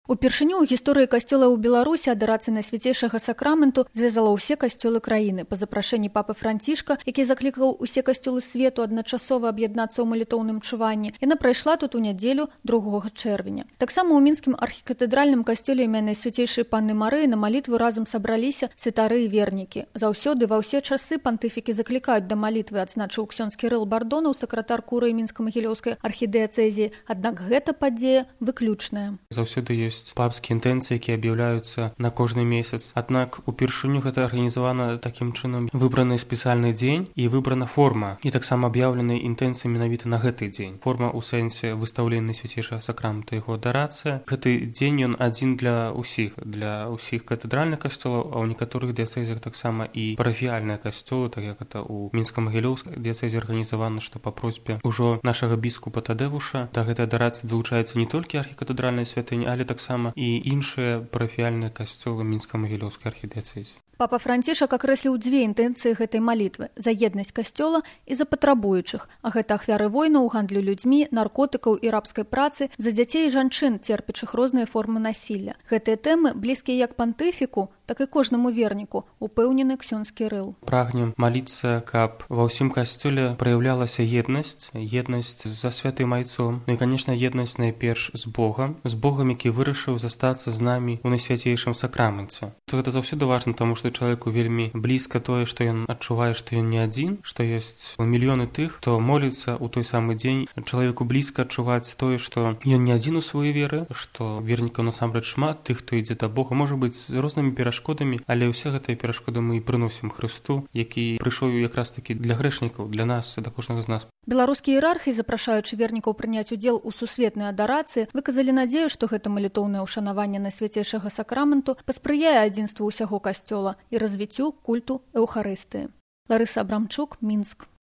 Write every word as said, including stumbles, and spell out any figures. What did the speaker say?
Упершыню ў гісторыі касцёла ў Беларусі адарацыя Найсвяцейшага сакраменту звязала ўсе касцёлы краіны па запрашэнні папы Францішка, які заклікаў усе касцёлы свету адначасова аб'яднацца ў малітоўным чуванні. Яна прайшла тут у нядзелю другога чэрвеня. Таксама ў мінскім архікатэдральным касцёле імя Найсвяцейшай Панны Марыі на малітву разам сабраліся святары і вернікі. Заўсёды ва ўсе часы пантыфікі заклікаюць да малітвы, адзначыў ксёндз Кірыл Бардонаў, сакратар курыі мінска-магілёўскай архідыяцэзіі. Аднак гэта падзея выключная. Заўсёды ёсць папскія інтэнцыі, якія аб'яўляюцца на кожны месяц. Аднак упершыню гэта арганізавана такім чынам выбраны спецыяльны дзень і выбрана форма, і таксама аб'яўлены інтэнцыі менавіта на гэты дзень. Форма ў сэнсе выстаўлення Найсвяцейшага сакрамента, яго адарацыя. Гэты дзень ён адзін для ўсіх, для ўсіх катэдральных касцёлаў, а ў некаторых дыяцэзіях таксама і парафіяльныя касцёлы, так як это ў мінска-магілёўскай дыяцэзе арганізавана, што па просьбе ўжо нашага біскупа Тадеуша да гэтай адарацыі далучаецца не толькі архікатэдральная святыня, але таксама і іншыя парафіяльныя касцёлы мінска-магілёўскай архідыяцэзі. Папа Францішак акрэсліў дзве інтэнцыі гэтай малітвы – за еднасць касцёла і за патрабуючых, а гэта ахвяры войнаў, гандлю людзьмі, наркотыкаў і рабскай працы, за дзяцей і жанчын, церпячых розныя формы насілля. Гэтыя тэмы блізкія як пантыфіку, так і кожнаму верніку, упэўнены ксёндз Кірыл. Прагнем маліцца, каб ва ўсім касцёле праяўлялася еднасць, еднасць за святым айцом, ну і, канешне, еднасць найперш з Богам, з Богам, які вырашыў застацца з намі ў Найсвяцейшым сакраменце. То гэта заўсёды важна, таму што чалавеку вельмі блізка тое, што ён адчувае, што ён не адзін, што ёсць мільёны тых, хто моліцца ў той самы дзень. Чалавеку блізка адчуваць тое, што ён не адзін у сваёй веры, што вернікаў насамрэч шмат, тых, хто ідзе да Бога, можа быць з рознымі перашкодамі, але ўсе гэтыя перашкоды мы і прыносім Хрысту, які прыйшоў якраз такі для грэшнікаў, для нас, да кожнага з нас. Беларускія іерархі, запрашаючы вернікаў прыняць удзел у сусветнай адарацыі, выказалі надзею, што гэта малітоўнае ўшанаванне Найсвяцейшага сакраменту паспрыяе адзінству ўсяго касцёла і развіццю культу эўхарыстыі. Ларыса Абрамчук, Мінск.